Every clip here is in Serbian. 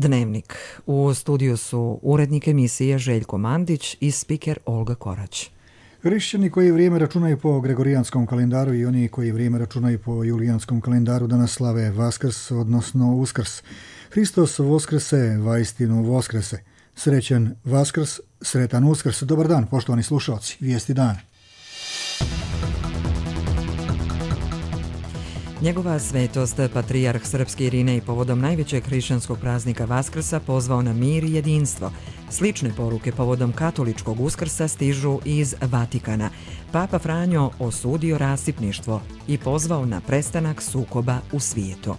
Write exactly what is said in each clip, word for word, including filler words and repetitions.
Dnevnik. U studiju su urednik emisije Željko Mandić i spiker Olga Korać. Hrišćani koji vrijeme računaju po gregorijanskom kalendaru i oni koji vrijeme računaju po julijanskom kalendaru danas slave Vaskrs, odnosno Uskrs. Hristos voskrese, vaistinu voskrese. Srećan Vaskrs, sretan Uskrs. Dobar dan, poštovani slušalci. Vijesti dana. Njegova svetost, patrijarh srpski Irinej, povodom najvećeg hrišćanskog praznika Vaskrsa pozvao na mir i jedinstvo. Slične poruke povodom katoličkog Uskrsa stižu iz Vatikana. Papa Franjo osudio rasipništvo i pozvao na prestanak sukoba u svijetu.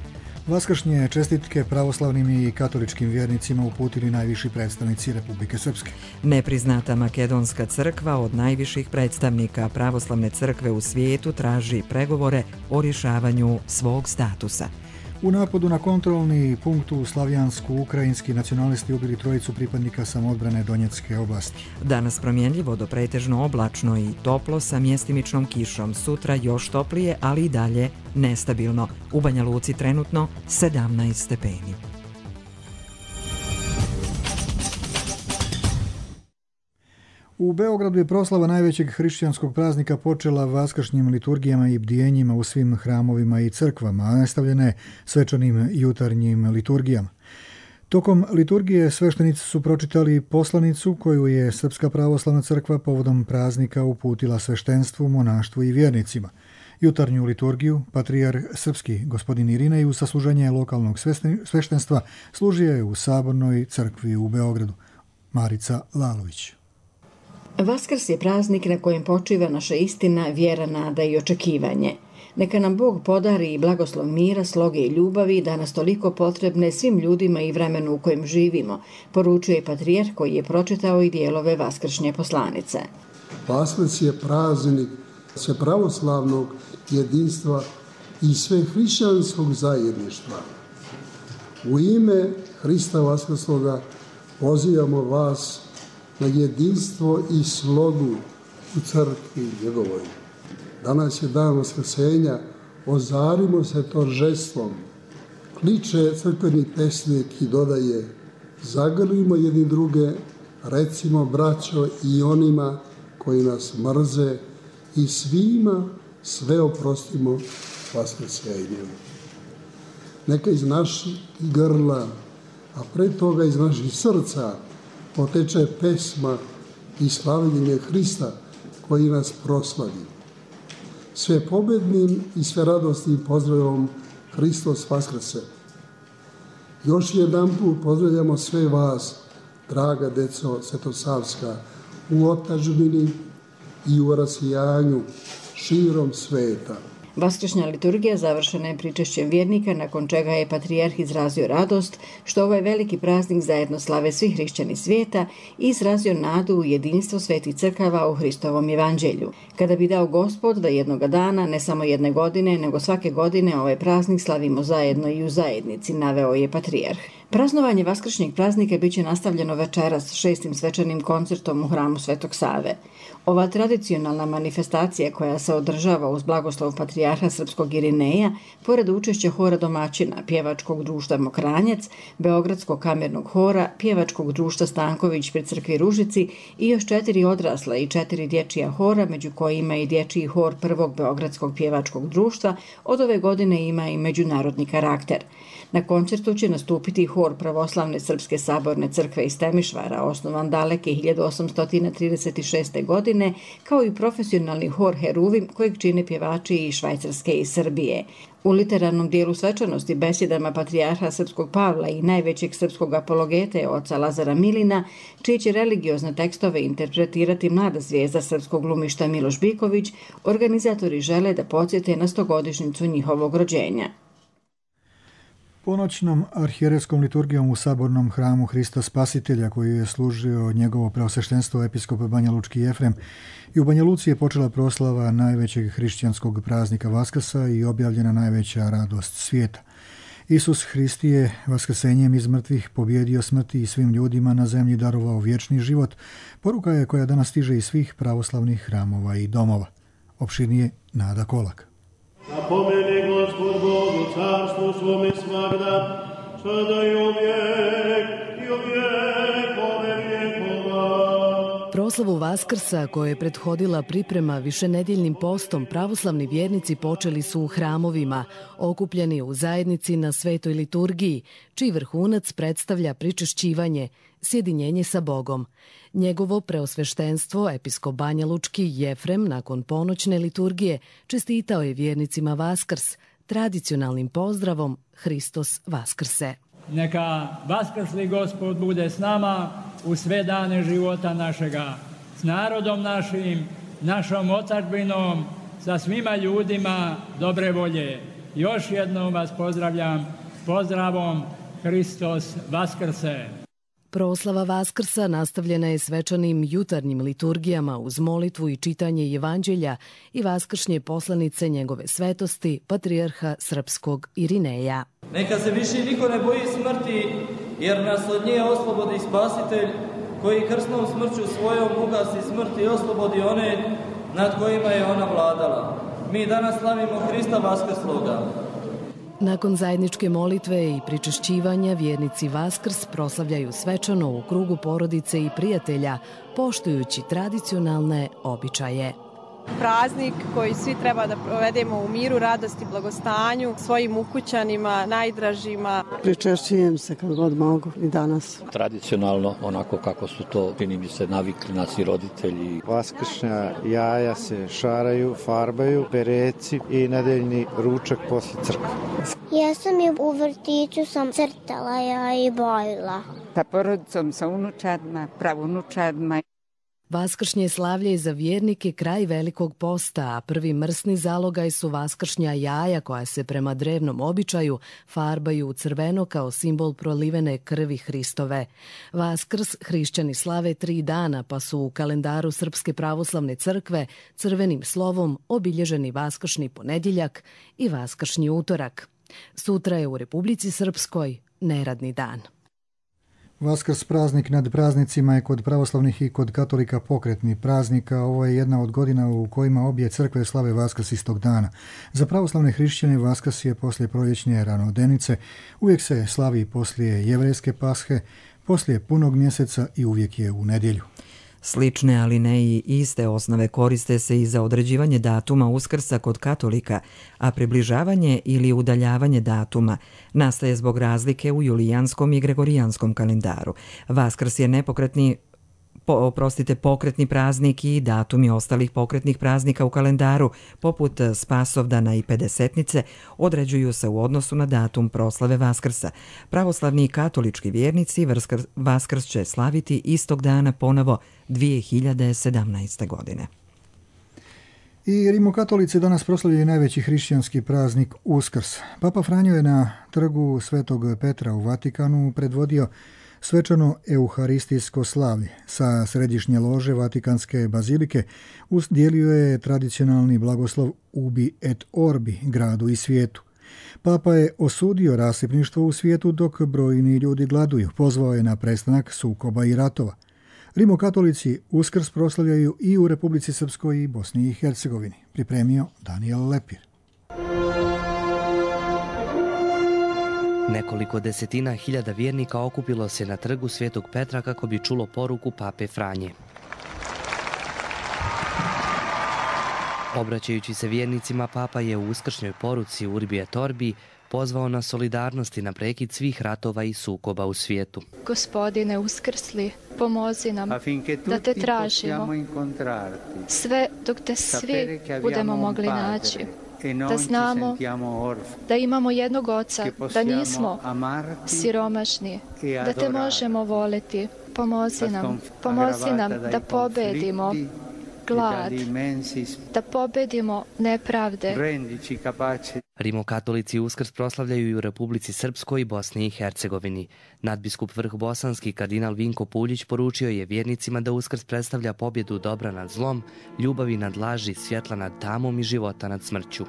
Vaskršnje čestitke pravoslavnim i katoličkim vjernicima uputili najviši predstavnici Republike Srpske. Nepriznata makedonska crkva od najviših predstavnika pravoslavne crkve u svijetu traži pregovore o rješavanju svog statusa. U napadu na kontrolni punkt u Slavijansku ukrajinski nacionalisti ubili trojicu pripadnika samoodbrane Donjecke oblasti. Danas promjenljivo do pretežno oblačno i toplo sa mjestimičnom kišom. Sutra još toplije, ali i dalje nestabilno. U Banja Luci trenutno sedamnaest stepeni. U Beogradu je proslava najvećeg hrišćanskog praznika počela vaskršnjim liturgijama i bdijenjima u svim hramovima i crkvama, a nastavljene svečanim jutarnjim liturgijama. Tokom liturgije sveštenici su pročitali poslanicu koju je Srpska pravoslavna crkva povodom praznika uputila sveštenstvu, monaštvu i vjernicima. Jutarnju liturgiju patrijarh srpski gospodin Irinej uz sasluženje lokalnog sveštenstva služio je u Sabornoj crkvi u Beogradu. Marica Lalović. Vaskrs je praznik na kojem počiva naša istina, vjera, nada i očekivanje. Neka nam Bog podari i blagoslov mira, sloge i ljubavi, danas toliko potrebne svim ljudima i vremenu u kojem živimo, poručuje patrijarh koji je pročitao i dijelove vaskršnje poslanice. Vaskrs je praznik sve pravoslavnog jedinstva i sve hrišćanskog zajedništva. U ime Hrista Vaskrsloga pozivamo vas na jedinstvo i slogu u crkvi njegovoj. Danas je dan Vaskrsenja, ozarimo se торжеством. Kliče crkveni pesnik i dodaje, zagrlimo jedni druge, recimo braćo i onima koji nas mrze i svima sve oprostimo Vaskrsenjem. Neka iz naših grla, a pre toga iz naših srca, poteče pesma i slavljenje Hrista koji nas proslavi. Sve pobednim i sve radosnim pozdravom Hristos Vaskrse. Još jedan put pozdravljamo sve vas, draga deco svetosavska, u otadžbini i u rasijanju širom sveta. Vaskršnja liturgija završena je pričešćem vjernika, nakon čega je patrijarh izrazio radost što ovaj veliki praznik zajedno slave svi hrišćani svijeta i izrazio nadu u jedinstvo svetih crkava u Hristovom evanđelju. Kada bi dao Gospod da jednoga dana, ne samo jedne godine, nego svake godine ovaj praznik slavimo zajedno i u zajednici, naveo je patrijarh. Praznovanje vaskršnjeg praznika bit će nastavljeno večeras šestim svečanim koncertom u hramu Svetog Save. Ova tradicionalna manifestacija koja se održava uz blagoslov patrijarha srpskog Irineja, pored učešća hora domaćina, pjevačkog društva Mokranjac, Beogradskog kamernog hora, pjevačkog društva Stanković pri crkvi Ružici i još četiri odrasla i četiri dječija hora, među kojima i dječiji hor prvog Beogradskog pjevačkog društva, od ove godine ima i međunarodni karakter. Na koncertu će nastupiti hor pravoslavne Srpske saborne crkve iz Temišvara, osnovan daleke hiljadu osamsto trideset šeste. godine, kao i profesionalni hor Heruvim, kojeg čine pjevači iz Švajcarske i Srbije. U literarnom dijelu svečanosti besjedama patrijarha srpskog Pavla i najvećeg srpskog apologete oca Lazara Milina, čije će religiozne tekstove interpretirati mlada zvijezda srpskog glumišta Miloš Biković, organizatori žele da podsjete na stogodišnjicu njihovog rođenja. Ponoćnom arhijerejskom liturgijom u Sabornom hramu Hrista Spasitelja, koju je služio njegovo preosveštenstvo episkop Banja Lučki Jefrem, i u Banja Luci je počela proslava najvećeg hrišćanskog praznika Vaskrsa i objavljena najveća radost svijeta. Isus Hrist je vaskrsenjem iz mrtvih pobjedio smrti i svim ljudima na zemlji darovao vječni život. Poruka je koja danas stiže iz svih pravoslavnih hramova i domova. Opširnije Nada Kolak. Napomeni Gospod Bogu carstvu svome svagda, sada i uvijek Proslavu Vaskrsa, koje je prethodila priprema višenedeljnim postom, pravoslavni vjernici počeli su u hramovima, okupljeni u zajednici na svetoj liturgiji, čiji vrhunac predstavlja pričešćivanje, sjedinjenje sa Bogom. Njegovo preosveštenstvo, episkop Banja Lučki Jefrem, nakon ponoćne liturgije, čestitao je vjernicima Vaskrs tradicionalnim pozdravom Hristos Vaskrse. Neka vaskrsli Gospod bude s nama u sve dane života našega, s narodom našim, našom otadžbinom, sa svima ljudima dobre volje. Još jednom vas pozdravljam pozdravom Hristos Vaskrse. Proslava Vaskrsa nastavljena je svečanim jutarnjim liturgijama uz molitvu i čitanje evanđelja i vaskršnje poslanice njegove svetosti, patrijarha srpskog Irineja. Neka se više niko ne boji smrti, jer nas od nje oslobodi Spasitelj, koji krsnom smrću svojom ugasi smrt i oslobodi one nad kojima je ona vladala. Mi danas slavimo Hrista Vaskrsloga. Nakon zajedničke molitve i pričešćivanja, vjernici Vaskrs proslavljaju svečano u krugu porodice i prijatelja, poštujući tradicionalne običaje. Praznik koji svi treba da provedemo u miru, radosti, blagostanju, svojim ukućanima, najdražima. Pričešćujem se kad god mogu i danas. Tradicionalno, onako kako su to, čini mi se, navikli nas i roditelji. Vaskršnja jaja se šaraju, farbaju, pereci i nedeljni ručak posle crkve. Ja sam je u vrtiću sam crtala ja i bojila. Sa porodicom, sa unučadima, pravunučadima. Vaskršnje slavlje je za vjernike kraj Velikog posta, a prvi mrsni zalogaj su vaskršnja jaja koja se prema drevnom običaju farbaju u crveno kao simbol prolivene krvi Hristove. Vaskrs hrišćani slave tri dana, pa su u kalendaru Srpske pravoslavne crkve crvenim slovom obilježeni vaskršnji ponedjeljak i vaskršnji utorak. Sutra je u Republici Srpskoj neradni dan. Vaskrs praznik nad praznicima je kod pravoslavnih i kod katolika pokretni praznik, a ovo je jedna od godina u kojima obje crkve slave Vaskrs istog dana. Za pravoslavne hrišćane Vaskrs je poslije proljećne ranodenice, uvijek se slavi poslije jevrejske pashe, poslije punog mjeseca i uvijek je u nedjelju. Slične, ali ne i iste osnove koriste se i za određivanje datuma Uskrsa kod katolika, a približavanje ili udaljavanje datuma nastaje zbog razlike u julijanskom i gregorijanskom kalendaru. Vaskrs je nepokretni Po, oprostite, pokretni praznik i datumi ostalih pokretnih praznika u kalendaru, poput Spasovdana i Pedesetnice, određuju se u odnosu na datum proslave Vaskrsa. Pravoslavni i katolički vjernici Vaskrs će slaviti istog dana ponovo dvije hiljade sedamnaeste. godine. I rimokatolici danas proslavljaju najveći hrišćanski praznik Uskrs. Papa Franjo je na trgu Svetog Petra u Vatikanu predvodio svečano euharistijsko slavlje. Sa središnje lože Vatikanske bazilike udjelio je tradicionalni blagoslov Ubi et Orbi gradu i svijetu. Papa je osudio rasipništvo u svijetu dok brojni ljudi gladuju. Pozvao je na prestanak sukoba i ratova. Rimokatolici Uskrs proslavljaju i u Republici Srpskoj i Bosni i Hercegovini. Pripremio Daniel Lepir. Nekoliko desetina hiljada vjernika okupilo se na trgu Svetog Petra kako bi čulo poruku pape Franje. Obraćajući se vjernicima, papa je u uskršnjoj poruci Urbi et Orbi pozvao na solidarnost i na prekid svih ratova i sukoba u svijetu. Gospodine uskrsli, pomozi nam da te tražimo, sve dok te svi budemo mogli naći. Da znamo da imamo jednog oca, da nismo siromašni, da te možemo voliti. Pomozi nam, pomozi nam da pobedimo glad, da pobedimo nepravde. Rimokatolici Uskrs proslavljaju i u Republici Srpskoj i Bosni i Hercegovini. Nadbiskup Vrh Bosanski kardinal Vinko Puljić poručio je vjernicima da Uskrs predstavlja pobjedu dobra nad zlom, ljubavi nad laži, svjetla nad tamom i života nad smrću.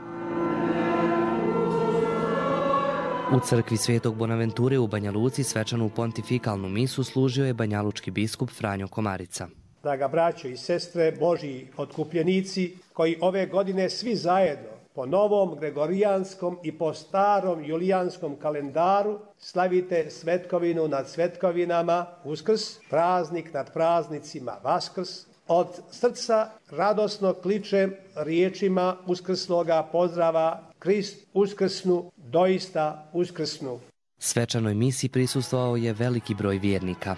U crkvi Svetog Bonaventure u Banja Luci svečanu pontifikalnu misu služio je banjalučki biskup Franjo Komarica. Draga braćo i sestre, Božji otkupljenici, koji ove godine svi zajedno po novom gregorijanskom i po starom julijanskom kalendaru slavite svetkovinu nad svetkovinama, Uskrs, praznik nad praznicima, Vaskrs, od srca radosno kličem riječima uskrsloga pozdrava Krist uskrsnu, doista uskrsnu. Svečanoj misi prisustvovao je veliki broj vjernika.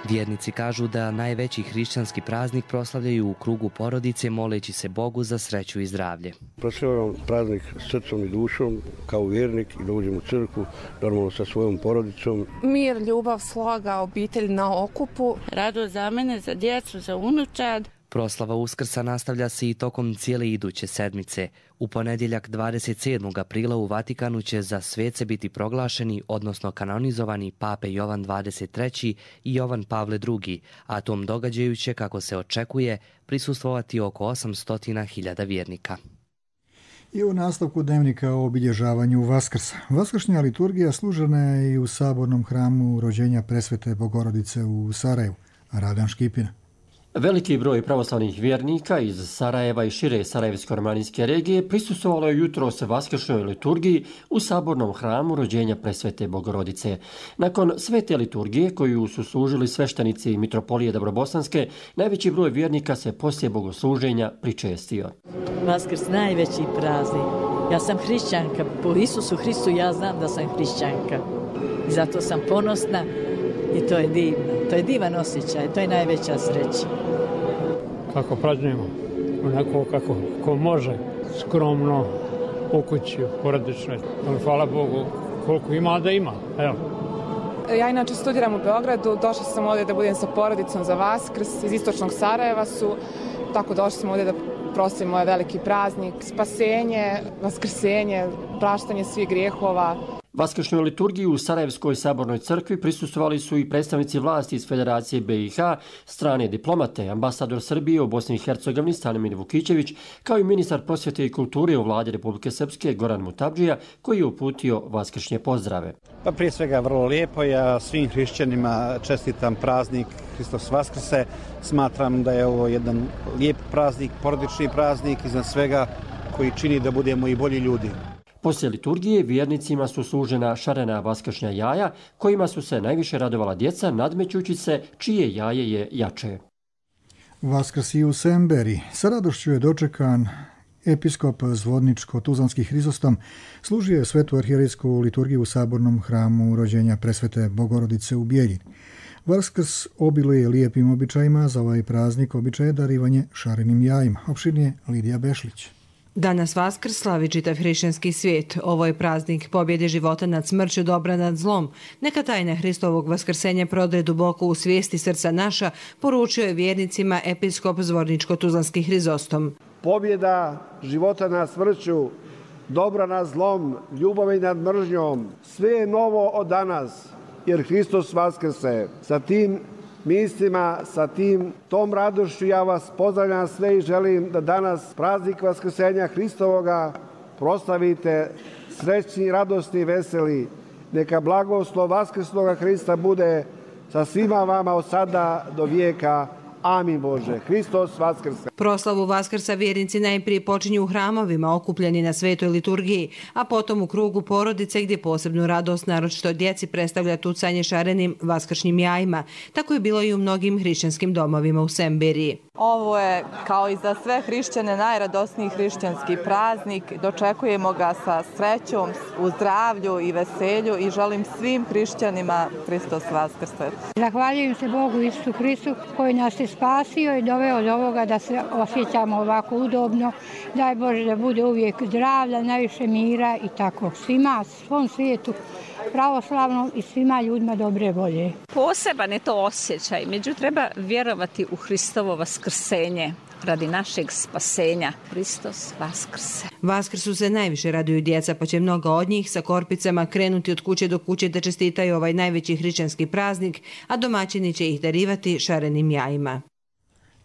Vjernici kažu da najveći hrišćanski praznik proslavljaju u krugu porodice moleći se Bogu za sreću i zdravlje. Proslavljam praznik srcom i dušom kao vjernik i dođem u crkvu normalno sa svojom porodicom. Mir, ljubav, sloga, obitelj na okupu. Radost za mene, za djecu, za unučad. Proslava Uskrsa nastavlja se i tokom cijele iduće sedmice. U ponedjeljak dvadeset sedmog aprila u Vatikanu će za svece biti proglašeni, odnosno kanonizovani pape Jovan dvadeset treći i Jovan Pavle drugi, a tom događaju će, kako se očekuje, prisustvovati oko osamsto hiljada vjernika. I u nastavku dnevnika o obilježavanju Vaskrsa. Vaskršnja liturgija služena je i u sabornom hramu rođenja Presvete Bogorodice u Sarajevu. Radan Škipina. Veliki broj pravoslavnih vjernika iz Sarajeva i šire Sarajevsko-romanijske regije prisustvovalo je jutros vaskršnjoj liturgiji u sabornom hramu rođenja Presvete Bogorodice. Nakon svete liturgije koju su služili sveštenici Mitropolije Dobrobosanske, najveći broj vjernika se poslije bogosluženja pričestio. Vaskrs najveći praznik. Ja sam hrišćanka, po Isusu Hristu ja znam da sam hrišćanka. I zato sam ponosna i to je divno. To je divan osjećaj, to je najveća sreća. Kako praznujemo, onako kako ko može, skromno, u kući, porodično. Hvala Bogu koliko ima da ima. Evo. Ja inače studiram u Beogradu, došla sam ovdje da budem sa porodicom za Vaskrs, iz istočnog Sarajeva su, tako došli smo ovdje da proslavimo ovaj veliki praznik, spasenje, vaskrsenje, praštanje svih grijehova. Vaskršnjoj liturgiji u Sarajevskoj sabornoj crkvi prisustvovali su i predstavnici vlasti iz Federacije be i ha, strane diplomate, ambasador Srbije u Bosni i Hercegovini Stanimir Vukićević, kao i ministar prosvjete i kulture u vladi Republike Srpske Goran Mutabdžija, koji je uputio vaskršnje pozdrave. Pa prije svega vrlo lijepo, ja svim hrišćanima čestitam praznik Hristos Vaskrse. Smatram da je ovo jedan lijep praznik, porodični praznik, iznad svega koji čini da budemo i bolji ljudi. Poslije liturgije vjernicima su služena šarena vaskršnja jaja, kojima su se najviše radovala djeca, nadmećući se čije jaje je jače. Vaskrs i u Semberi. Sa radošću je dočekan episkop Zvodničko-Tuzlanski Hrizostom, služio je svetu arhijerejsku liturgiju u sabornom hramu rođenja Presvete Bogorodice u Bijeljini. Vaskrs obiluje lijepim običajima, za ovaj praznik običaj je darivanje šarenim jajima. Opširnije Lidija Bešlić. Danas Vaskrs slavi čitav hrišćanski svijet. Ovo je praznik pobjede života nad smrću, dobra nad zlom. Neka tajna Hristovog vaskrsenja prodre duboko u svijesti srca naša, poručio je vjernicima episkop Zvorničko-Tuzlanski Hrizostom. Pobjeda života nad smrću, dobra nad zlom, ljubavi nad mržnjom, sve je novo od danas, jer Hristos vaskrse. Sa tim mislima, sa tim, tom radošću ja vas pozdravljam sve i želim da danas praznik vaskrsenja Hristovoga proslavite srećni, radosni, veseli. Neka blagoslov vaskrsloga Hrista bude sa svima vama od sada do vijeka. Amin Bože. Hristos vaskrse. Proslavu Vaskrsa vjernici najprije počinju u hramovima okupljeni na svetoj liturgiji, a potom u krugu porodice gdje posebnu radost naročito djeci predstavlja tucanje šarenim vaskršnjim jajima. Tako je bilo i u mnogim hrišćanskim domovima u Semberiji. Ovo je, kao i za sve hrišćane, najradosniji hrišćanski praznik. Dočekujemo ga sa srećom, u zdravlju i veselju i želim svim hrišćanima Hristos vaskrse. Zahvaljujem se Bogu Isusu Hristu koji nas je spasio i doveo do ovoga da se osjećamo ovako udobno. Daj Bože da bude uvijek zdravlja, najviše mira i tako. Svima, svom svijetu pravoslavnom i svima ljudima dobre volje. Poseban je to osjećaj, međutim treba vjerovati u Hristovo vaskrsenje radi našeg spasenja. Hristos vaskrse. Vaskrsu se najviše raduju djeca, pa će mnoga od njih sa korpicama krenuti od kuće do kuće da čestitaju ovaj najveći hrišćanski praznik, a domaćini će ih darivati šarenim jajima.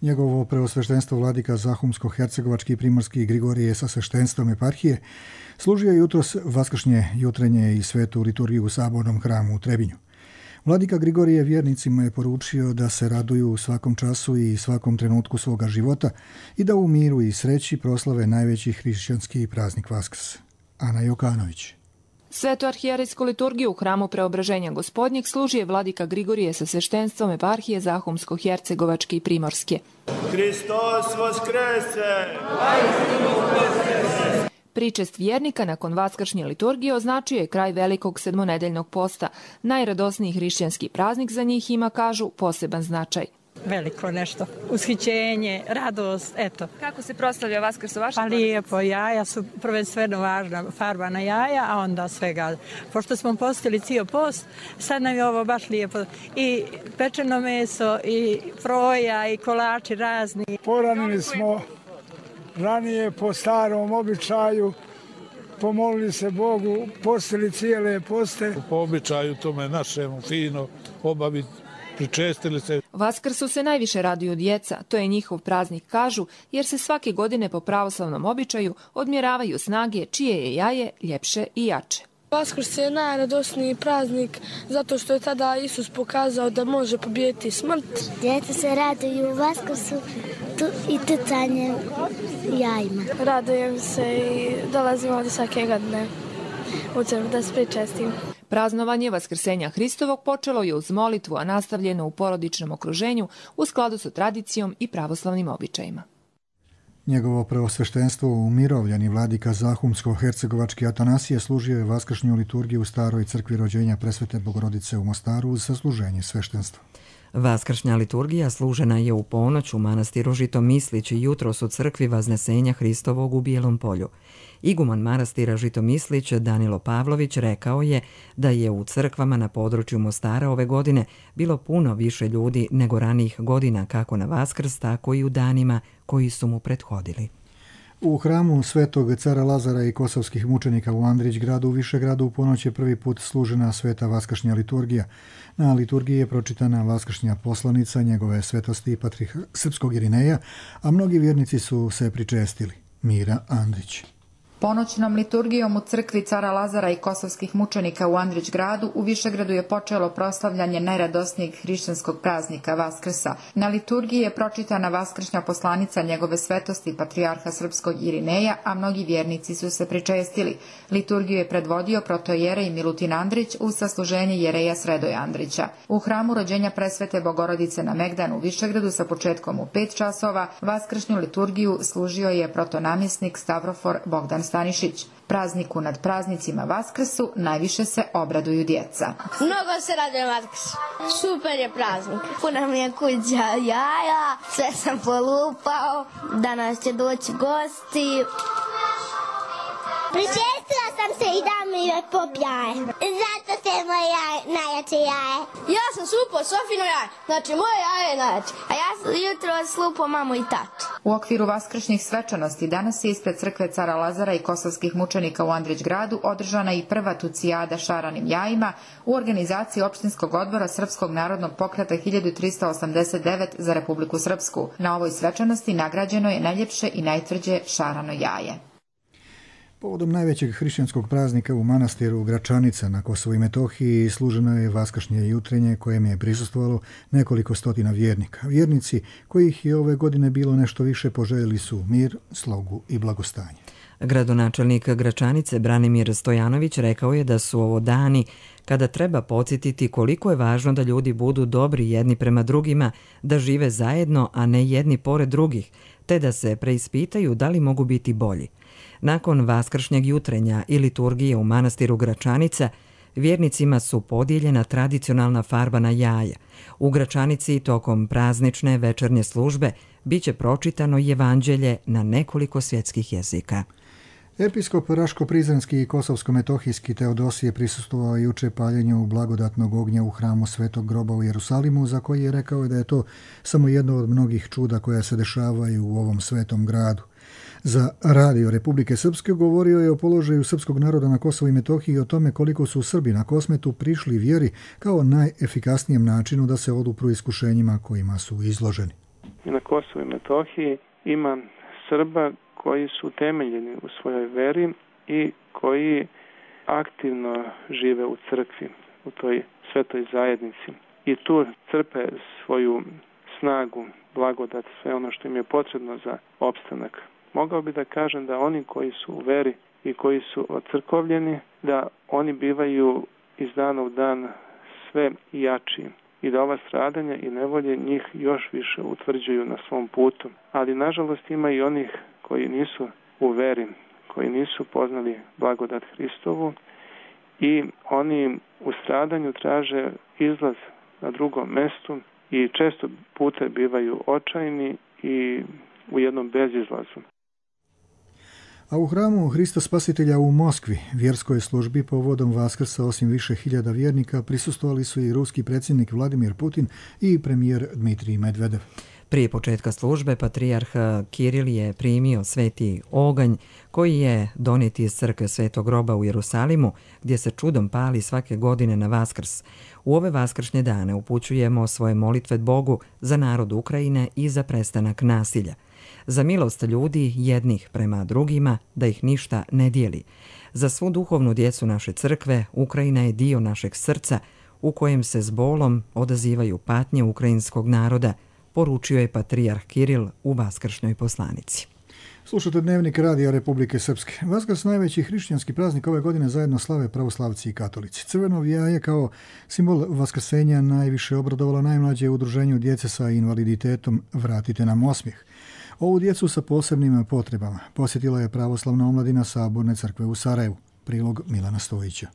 Njegovo preosveštenstvo vladika Zahumsko-hercegovački i primorski Grigorije sa sveštenstvom eparhije služio je jutros vaskršnje jutrenje i svetu liturgiju u sabornom hramu u Trebinju. Vladika Grigorije vjernicima je poručio da se raduju u svakom času i svakom trenutku svoga života i da u miru i sreći proslave najveći hrišćanski praznik Vaskrs. Ana Jokanović. Svetu arhijerejsku liturgiju u hramu Preobraženja Gospodnjeg služi je vladika Grigorije sa sveštenstvom eparhije Zahumsko-Hercegovačke i Primorske. Hristos vaskrese! Pričest vjernika nakon vaskršnje liturgije označio je kraj velikog sedmonedeljnog posta. Najradosniji hrišćanski praznik za njih ima, kažu, poseban značaj. Veliko nešto, ushićenje, radost, eto. Kako se proslavlja Vaskrs u vašem? Pa lijepo, jaja su prvenstveno važna, farbana jaja, a onda svega. Pošto smo postili cijel post, sad nam je ovo baš lijepo. I pečeno meso, i froja, i kolači razni. Poranili smo ranije po starom običaju, pomolili se Bogu, postili cijele poste. Po običaju tome našemu fino obaviti. Pričestili se. Vaskrsu se najviše raduju djeca, to je njihov praznik, kažu, jer se svake godine po pravoslavnom običaju odmjeravaju snage čije je jaje ljepše i jače. Vaskrs je najradosniji praznik zato što je tada Isus pokazao da može pobijediti smrt. Djeca se raduju Vaskrsu i tucanjem jajima. Radujem se i dolazim ovdje svake godine u crkvu da se pričestim. Praznovanje Vaskrsenja Hristovog počelo je uz molitvu, a nastavljeno u porodičnom okruženju u skladu sa tradicijom i pravoslavnim običajima. Njegovo preosveštenstvo u Mirovljani vladika Zahumsko-Hercegovački Atanasije služio je vaskršnju liturgiju u staroj crkvi rođenja Presvete Bogorodice u Mostaru uz sasluženje sveštenstva. Vaskršnja liturgija služena je u ponoć u manastiru Žitomislić i jutros u crkvi Vaznesenja Hristovog u Bijelom Polju. Iguman manastira Žitomislić Danilo Pavlović rekao je da je u crkvama na području Mostara ove godine bilo puno više ljudi nego ranijih godina kako na Vaskrs, tako i u danima koji su mu prethodili. U hramu Svetog cara Lazara i kosovskih mučenika u Andrićgradu u Višegradu u ponoć je prvi put služena sveta vaskršnja liturgija. Na liturgiji je pročitana vaskršnja poslanica njegove svetosti i patrijarha srpskog Irineja, a mnogi vjernici su se pričestili. Mira Andrić. Ponoćnom liturgijom u crkvi cara Lazara i kosovskih mučenika u Andrićgradu u Višegradu je počelo proslavljanje najradosnijeg hrišćanskog praznika Vaskrsa. Na liturgiji je pročitana vaskršnja poslanica njegove svetosti patrijarha srpskog Irineja, a mnogi vjernici su se pričestili. Liturgiju je predvodio protojerej Milutin Andrić uz sasluženje jereja Sredoja Andrića. U hramu rođenja Presvete Bogorodice na Megdanu u Višegradu sa početkom u pet časova vaskršnju liturgiju služio je protonamjesnik Stavrofor Bogdan Stanišić. Prazniku nad praznicima Vaskrsu najviše se obraduju djeca. Mnogo se radujem Vaskrsu. Super je praznik. Puna mi je kuća jaja, sve sam polupao, danas će doći gosti. Pričestila sam se i da mi je pop jaje. Zato se je moje jaje, najjače jaje. Ja sam slupao Sofino jaje, znači moje jaje je najjače. A ja sam jutro slupao mamu i tatu. U okviru vaskršnjih svečanosti danas je ispred crkve cara Lazara i kosovskih mučenika u Andrićgradu održana i prva tucijada šaranim jajima u organizaciji opštinskog odbora Srpskog narodnog pokreta hiljadu trista osamdeset devet za Republiku Srpsku. Na ovoj svečanosti nagrađeno je najljepše i najtvrđe šarano jaje. Povodom najvećeg hrišćanskog praznika u manastiru Gračanica na Kosovu i Metohiji služeno je vaskršnje jutrenje kojem je prisustvovalo nekoliko stotina vjernika. Vjernici kojih je ove godine bilo nešto više poželjeli su mir, slogu i blagostanje. Gradonačelnik Gračanice Branimir Stojanović rekao je da su ovo dani kada treba podsjetiti koliko je važno da ljudi budu dobri jedni prema drugima, da žive zajedno, a ne jedni pored drugih, te da se preispitaju da li mogu biti bolji. Nakon vaskršnjeg jutrenja i liturgije u manastiru Gračanica, vjernicima su podijeljena tradicionalna farbana jaja. U Gračanici tokom praznične večernje službe biće pročitano evanđelje na nekoliko svjetskih jezika. Episkop Raško-Prizrenski i Kosovsko-Metohijski Teodosije prisustvovao juče paljenju blagodatnog ognja u hramu Svetog groba u Jerusalimu, za koji je rekao da je to samo jedno od mnogih čuda koja se dešavaju u ovom svetom gradu. Za Radio Republike Srpske govorio je o položaju srpskog naroda na Kosovu i Metohiji i o tome koliko su Srbi na Kosmetu prišli vjeri kao najefikasnijem načinu da se odupru iskušenjima kojima su izloženi. Na Kosovu i Metohiji ima Srba koji su temeljeni u svojoj veri i koji aktivno žive u crkvi, u toj svetoj zajednici. I tu crpe svoju snagu, blagodat, sve ono što im je potrebno za opstanak. Mogao bi da kažem da oni koji su u veri i koji su ocrkovljeni, da oni bivaju iz dana u dan sve jači i da ova stradanja i nevolje njih još više utvrđuju na svom putu. Ali nažalost ima i onih koji nisu u veri, koji nisu poznali blagodat Hristovu i oni u stradanju traže izlaz na drugom mestu i često puta bivaju očajni i u jednom bezizlazu. A u hramu Hrista Spasitelja u Moskvi vjerskoj službi povodom Vaskrsa osim više hiljada vjernika prisustvovali su i ruski predsjednik Vladimir Putin i premijer Dmitrij Medvedev. Prije početka službe patrijarh Kiril je primio sveti oganj koji je donijet iz crkve Svetog groba u Jerusalimu, gdje se čudom pali svake godine na Vaskrs. U ove vaskršnje dane upućujemo svoje molitve Bogu za narod Ukrajine i za prestanak nasilja. Za milost ljudi jednih prema drugima, da ih ništa ne dijeli. Za svu duhovnu djecu naše crkve, Ukrajina je dio našeg srca u kojem se s bolom odazivaju patnje ukrajinskog naroda, poručio je patrijarh Kiril u vaskršnjoj poslanici. Slušate Dnevnik Radija Republike Srpske. Vaskrs, najveći hrišćanski praznik ove godine, zajedno slave pravoslavci i katolici. Crveno jaje kao simbol vaskrsenja najviše obradovalo najmlađe udruženju djece sa invaliditetom Vratite nam osmijeh. Ovu djecu sa posebnim potrebama posjetila je pravoslavna omladina Saborne crkve u Sarajevu. Prilog Milana Stojića.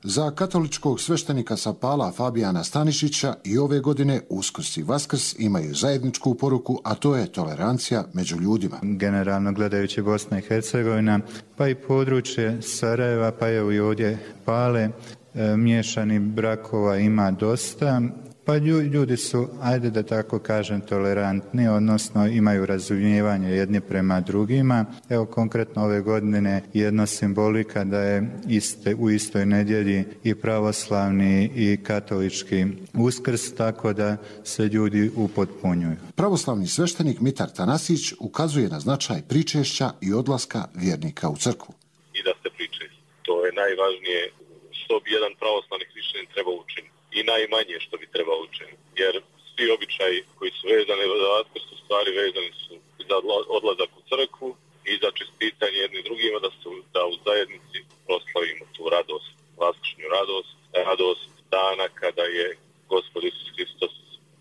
Za katoličkog sveštenika sa Pala Fabijana Stanišića i ove godine Uskrs i Vaskrs imaju zajedničku poruku, a to je tolerancija među ljudima. Generalno gledajući Bosna i Hercegovina, pa i područje Sarajeva, pa evo i ovdje Pale, e, miješani brakova ima dosta. Pa ljudi su, ajde da tako kažem, tolerantni, odnosno imaju razumijevanje jedni prema drugima. Evo konkretno ove godine jedna simbolika da je iste, u istoj nedjelji i pravoslavni i katolički Uskrs, tako da se ljudi upotpunjuju. Pravoslavni sveštenik Mitar Tanasić ukazuje na značaj pričešća i odlaska vjernika u crkvu. I da se pričešće. To je najvažnije što bi jedan pravoslavni hrišćanin treba učiniti. I najmanje što bi trebalo učiniti. Jer svi običaji koji su vezani za Vaskrs su stvari vezani su za odlazak u crkvu i za čestitanje jednim drugima da, su, da u zajednici proslavimo tu radost, vaskršnju radost, radost dana kada je Gospod Isus Hristos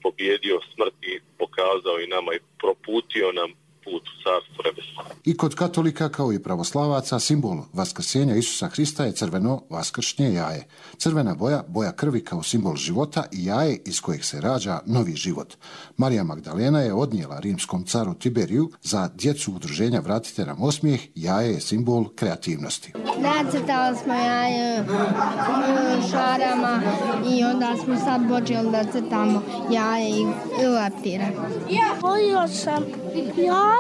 pobjedio smrt i pokazao i nama i proputio nam put u carstvo nebesno. I kod katolika kao i pravoslavaca simbol vaskrsenja Isusa Hrista je crveno vaskršnje jaje. Crvena boja, boja krvi kao simbol života i jaje iz kojeg se rađa novi život. Marija Magdalena je odnijela rimskom caru Tiberiju za djecu udruženja Vratite nam osmijeh, jaje je simbol kreativnosti. Nacrtali smo jaje šarama i onda smo sad počeli da crtamo jaje i leptire. Volio sam jaje,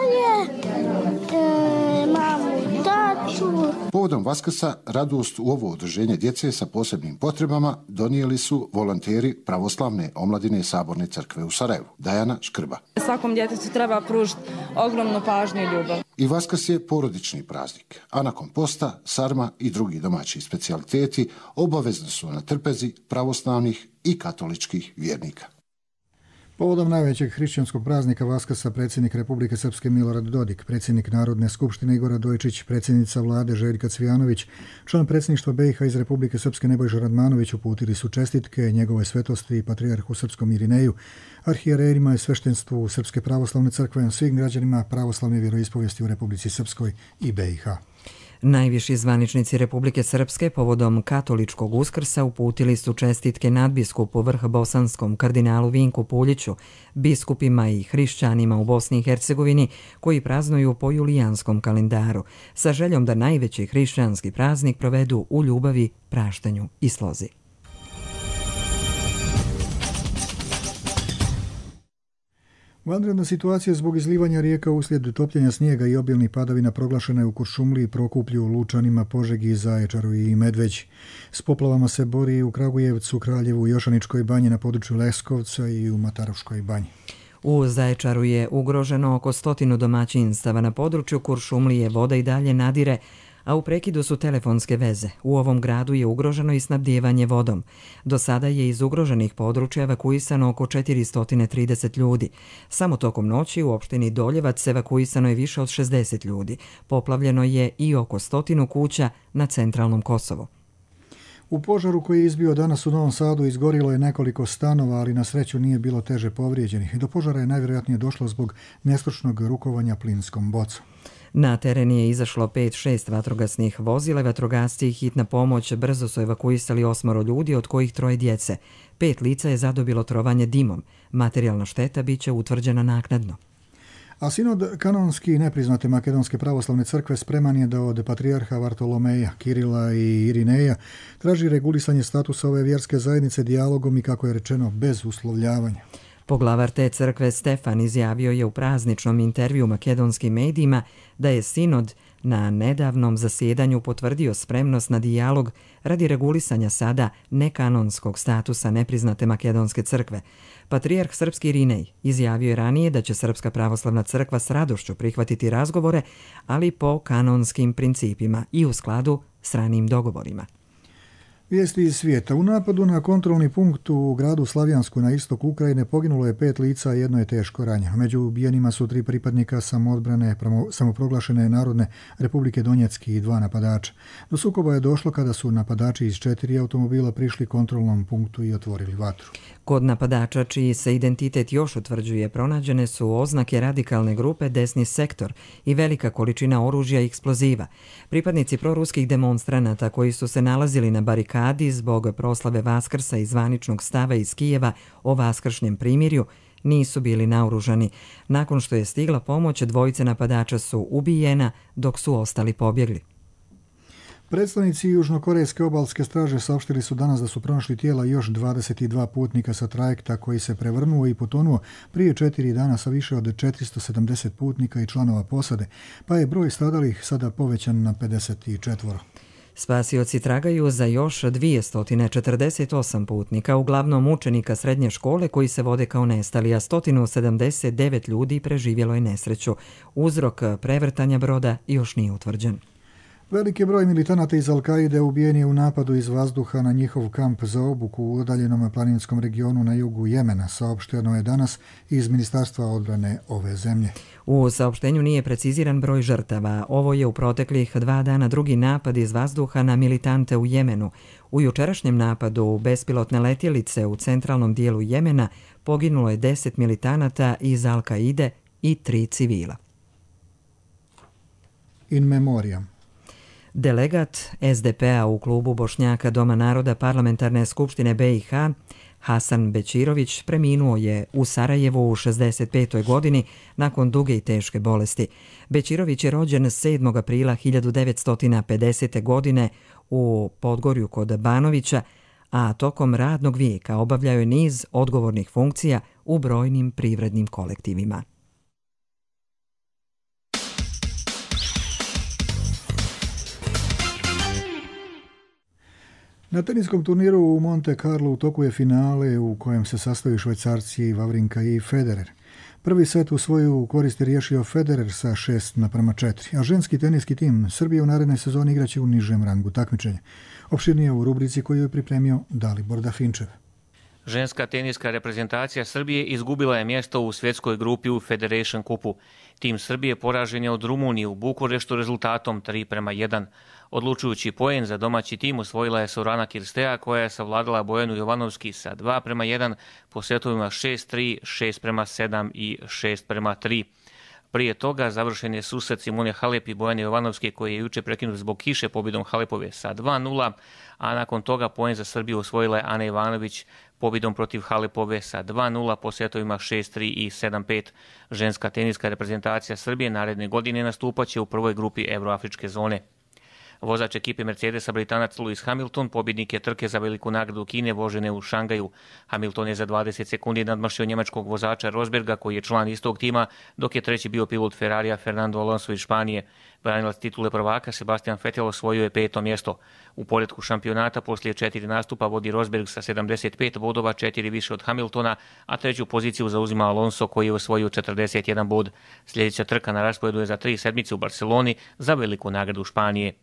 e, mamu, tatu. Povodom Vaskrsa radost u ovo udruženje djece sa posebnim potrebama donijeli su volonteri pravoslavne omladine Saborne crkve u Sarajevu. Dajana Škrba. Svakom djetetu treba pružiti ogromnu pažnju i ljubav. I Vaskrs je porodični praznik, a nakon posta, sarma i drugi domaći specijaliteti obavezni su na trpezi pravoslavnih i katoličkih vjernika. Povodom najvećeg hrišćanskog praznika Vaskrsa predsjednik Republike Srpske Milorad Dodik, predsjednik Narodne skupštine Igora Dojčić, predsjednica vlade Željka Cvijanović, član predsjedništva B i H iz Republike Srpske Nebojša Radmanović uputili su čestitke njegove svetosti i patrijarhu srpskom Irineju, arhijererima i sveštenstvu Srpske pravoslavne crkve, svim građanima pravoslavne vjeroispovijesti u Republici Srpskoj i B i H. Najviši zvaničnici Republike Srpske povodom katoličkog Uskrsa uputili su čestitke nadbiskupu vrhbosanskom kardinalu Vinku Puljiću, biskupima i hrišćanima u Bosni i Hercegovini koji praznuju po julijanskom kalendaru, sa željom da najveći hrišćanski praznik provedu u ljubavi, praštanju i slozi. Vanredna situacija zbog izlivanja rijeka uslijed topljenja snijega i obilnih padavina proglašena je u Kuršumliji, Prokuplju, Lučanima, Požegi, Zaječaru i Medveđi. S poplavama se bori u Kragujevcu, Kraljevu, Jošaničkoj banji, na području Leskovca i u Matarovškoj banji. U Zaječaru je ugroženo oko stotinu domaćinstava. Na području Kuršumlije voda i dalje nadire, a u prekidu su telefonske veze. U ovom gradu je ugroženo i snabdijevanje vodom. Do sada je iz ugroženih područja evakuisano oko četiristo trideset ljudi. Samo tokom noći u opštini Doljevac evakuisano je više od šezdeset ljudi. Poplavljeno je i oko stotinu kuća na centralnom Kosovu. U požaru koji je izbio danas u Novom Sadu izgorilo je nekoliko stanova, ali na sreću nije bilo teže povrijeđenih. Do požara je najvjerojatnije došlo zbog nestručnog rukovanja plinskom bocom. Na teren je izašlo pet šest vatrogasnih vozila, vatrogasci i hitna pomoć brzo su evakuisali osmoro ljudi, od kojih troje djece. Pet lica je zadobilo trovanje dimom. Materijalna šteta biće utvrđena naknadno. A sinod kanonski nepriznate Makedonske pravoslavne crkve spreman je da od patrijarha Vartolomeja, Kirila i Irineja traži regulisanje statusa ove vjerske zajednice dijalogom i, kako je rečeno, bez uslovljavanja. Poglavar te crkve Stefan izjavio je u prazničnom intervju makedonskim medijima da je sinod na nedavnom zasjedanju potvrdio spremnost na dijalog radi regulisanja sada nekanonskog statusa nepriznate Makedonske crkve. Patrijarh srpski Irinej izjavio je ranije da će Srpska pravoslavna crkva s radošću prihvatiti razgovore, ali po kanonskim principima i u skladu s ranijim dogovorima. Vijesti iz svijeta. U napadu na kontrolni punkt u gradu Slavijansku na istoku Ukrajine poginulo je pet lica, a jedno je teško ranjeno. Među ubijenima su tri pripadnika samoodbrane samoproglašene Narodne Republike Donjecki i dva napadača. Do sukoba je došlo kada su napadači iz četiri automobila prišli kontrolnom punktu i otvorili vatru. Kod napadača, čiji se identitet još utvrđuje, pronađene su oznake radikalne grupe Desni sektor i velika količina oružja i eksploziva. Pripadnici proruskih demonstranata koji su se nalazili na barikadi zbog proslave Vaskrsa i zvaničnog stava iz Kijeva o vaskršnjem primirju nisu bili naoružani. Nakon što je stigla pomoć, dvojice napadača su ubijena dok su ostali pobjegli. Predstavnici Južnokorejske obalske straže saopštili su danas da su pronašli tijela još dvadeset dva putnika sa trajekta koji se prevrnuo i potonuo prije četiri dana sa više od četiristo sedamdeset putnika i članova posade, pa je broj stradalih sada povećan na pedeset četiri. Spasioci tragaju za još dvjesto četrdeset osam putnika, uglavnom učenika srednje škole koji se vode kao nestali, a sto sedamdeset devet ljudi preživjelo je nesreću. Uzrok prevrtanja broda još nije utvrđen. Veliki broj militanata iz Al-Kaide ubijen je u napadu iz vazduha na njihov kamp za obuku u udaljenom planinskom regionu na jugu Jemena, saopšteno je danas iz Ministarstva odbrane ove zemlje. U saopštenju nije preciziran broj žrtava. Ovo je u proteklih dva dana drugi napad iz vazduha na militante u Jemenu. U jučerašnjem napadu bespilotne letjelice u centralnom dijelu Jemena poginulo je deset militanata iz Al-Kaide i tri civila. In memoriam. Delegat S D P-a u klubu Bošnjaka Doma naroda Parlamentarne skupštine B i H, Hasan Bećirović, preminuo je u Sarajevu u šezdeset petoj godini nakon duge i teške bolesti. Bećirović je rođen sedmog aprila hiljadu devetsto pedesete. godine u Podgorju kod Banovića, a tokom radnog vijeka obavljao je niz odgovornih funkcija u brojnim privrednim kolektivima. Na teniskom turniru u Monte Carlo u toku je finale u kojem se sastoji Švajcarci Wawrinka i Federer. Prvi set u svoju korist je riješio Federer sa šest naprema četiri, a ženski teniski tim Srbije u narednoj sezoni igraće u nižem rangu takmičenja. Opširnije u rubrici koju je pripremio Dalibor Dafinčev. Ženska teniska reprezentacija Srbije izgubila je mjesto u svjetskoj grupi u Federation Cupu. Tim Srbije poražen je od Rumunije u Bukureštu rezultatom tri prema jedan. Odlučujući poen za domaći tim osvojila je Sorana Kirstea, koja je savladala Bojanu Jovanovski sa dva prema jedan po setovima šest tri, šest prema sedam i šest prema tri. Prije toga završen je susret Simone Halep i Bojane Jovanovske, koji je juče prekinut zbog kiše pobjedom Halepove sa dva nula, a nakon toga poen za Srbiju osvojila je Ana Ivanović pobjedom protiv Halepove sa dva nula po setovima šest tri i sedam pet. Ženska teniska reprezentacija Srbije naredne godine nastupaće u prvoj grupi Evroafričke zone. Vozač ekipe Mercedesa, Britanac Lewis Hamilton, pobjednik je trke za veliku nagradu Kine vožene u Šangaju. Hamilton je za dvadeset sekundi nadmašio njemačkog vozača Rosberga, koji je član istog tima, dok je treći bio pilot Ferrarija Fernando Alonso iz Španije. Branilac titule prvaka Sebastian Vettel osvojio je peto mjesto. U poretku šampionata poslije četiri nastupa vodi Rosberg sa sedamdeset pet bodova, četiri više od Hamiltona, a treću poziciju zauzima Alonso, koji je osvojio četrdeset jedan bod. Sljedeća trka na rasporedu je za tri sedmice u Barceloni za veliku nagradu Španije.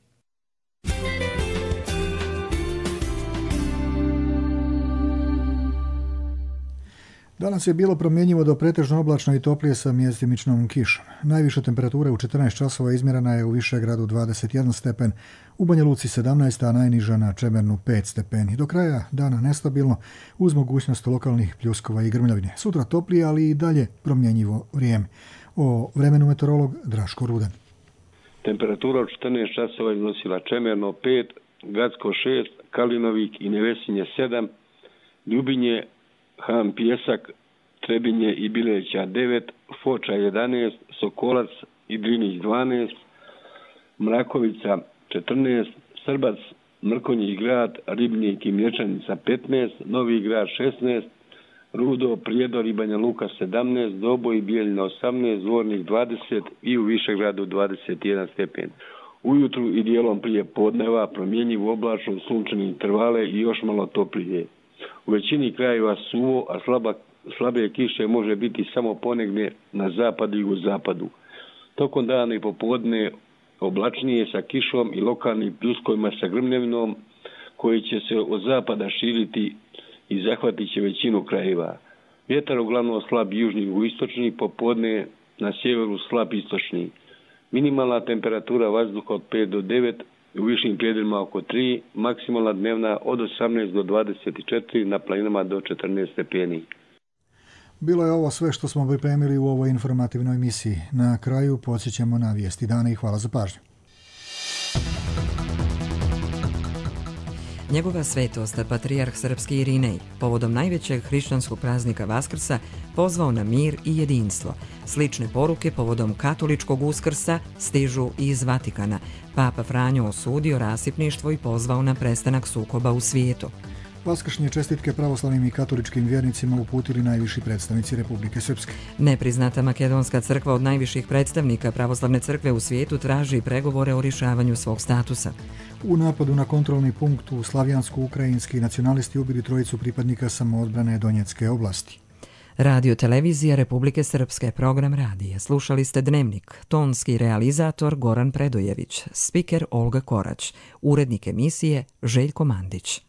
Danas je bilo promjenjivo do pretežno oblačno i toplije sa mjestimičnom kišom. Najviša temperatura u četrnaest časova izmjerena je u Višegradu dvadeset jedan stepen, u Banja Luci sedamnaest, a najniža na Čemernu pet stepeni. Do kraja dana nestabilno, uz mogućnost lokalnih pljuskova i grmljavine. Sutra toplije, ali i dalje promjenjivo vrijeme. O vremenu meteorolog Draško Rudan. Temperatura u četrnaest časova iznosila Čemerno pet, Gacko šest, Kalinovik i Nevesinje sedam, Ljubinje, Ham Pjesak, Trebinje i Bileća devet, Foča jedanaest, Sokolac i Drinić dvanaest, Mrakovica četrnaest, Srbac, Mrkonjić grad, Ribnik i Mlječanica petnaest, Novi grad šesnaest, Rudo, Prijedor i Banja Luka sedamnaest, Doboj i Bijeljina osamnaest, Zvornik dvadeset i u Višegradu dvadeset jedan stepen. Ujutru i dijelom prije podneva promjenjivo oblačno, sunčane intervale i još malo toplije. U većini krajeva suvo, a slaba, slabe kiše može biti samo ponegdje na zapadu i jugozapadu. Tokom dana i popodne oblačnije sa kišom i lokalnim pljuskovima sa grmljavinom koji će se od zapada širiti i zahvatit će većinu krajeva. Vjetar uglavnom slab južni i jugoistočni, popodne na sjeveru slab istočni. Minimalna temperatura vazduha od pet do devet, u višim predjelima oko tri, maksimalna dnevna od osamnaest do dvadeset četiri, na planinama do četrnaest stepeni. Bilo je ovo sve što smo pripremili u ovoj informativnoj emisiji. Na kraju podsjećamo na vijesti dana i hvala za pažnju. Njegova svetost, patrijarh srpski Irinej, povodom najvećeg hrišćanskog praznika Vaskrsa, pozvao na mir i jedinstvo. Slične poruke povodom katoličkog Uskrsa stižu iz Vatikana. Papa Franjo osudio rasipništvo i pozvao na prestanak sukoba u svijetu. Vaskršnje čestitke pravoslavnim i katoličkim vjernicima uputili najviši predstavnici Republike Srpske. Nepriznata Makedonska crkva od najviših predstavnika pravoslavne crkve u svijetu traži pregovore o rješavanju svog statusa. U napadu na kontrolni punkt u Slavjansko-ukrajinski nacionalisti ubili trojicu pripadnika samoodbrane Donjecke oblasti. Radio televizija Republike Srpske, program radija. Slušali ste Dnevnik, tonski realizator Goran Predojević, spiker Olga Korać, urednik emisije Željko Mandić.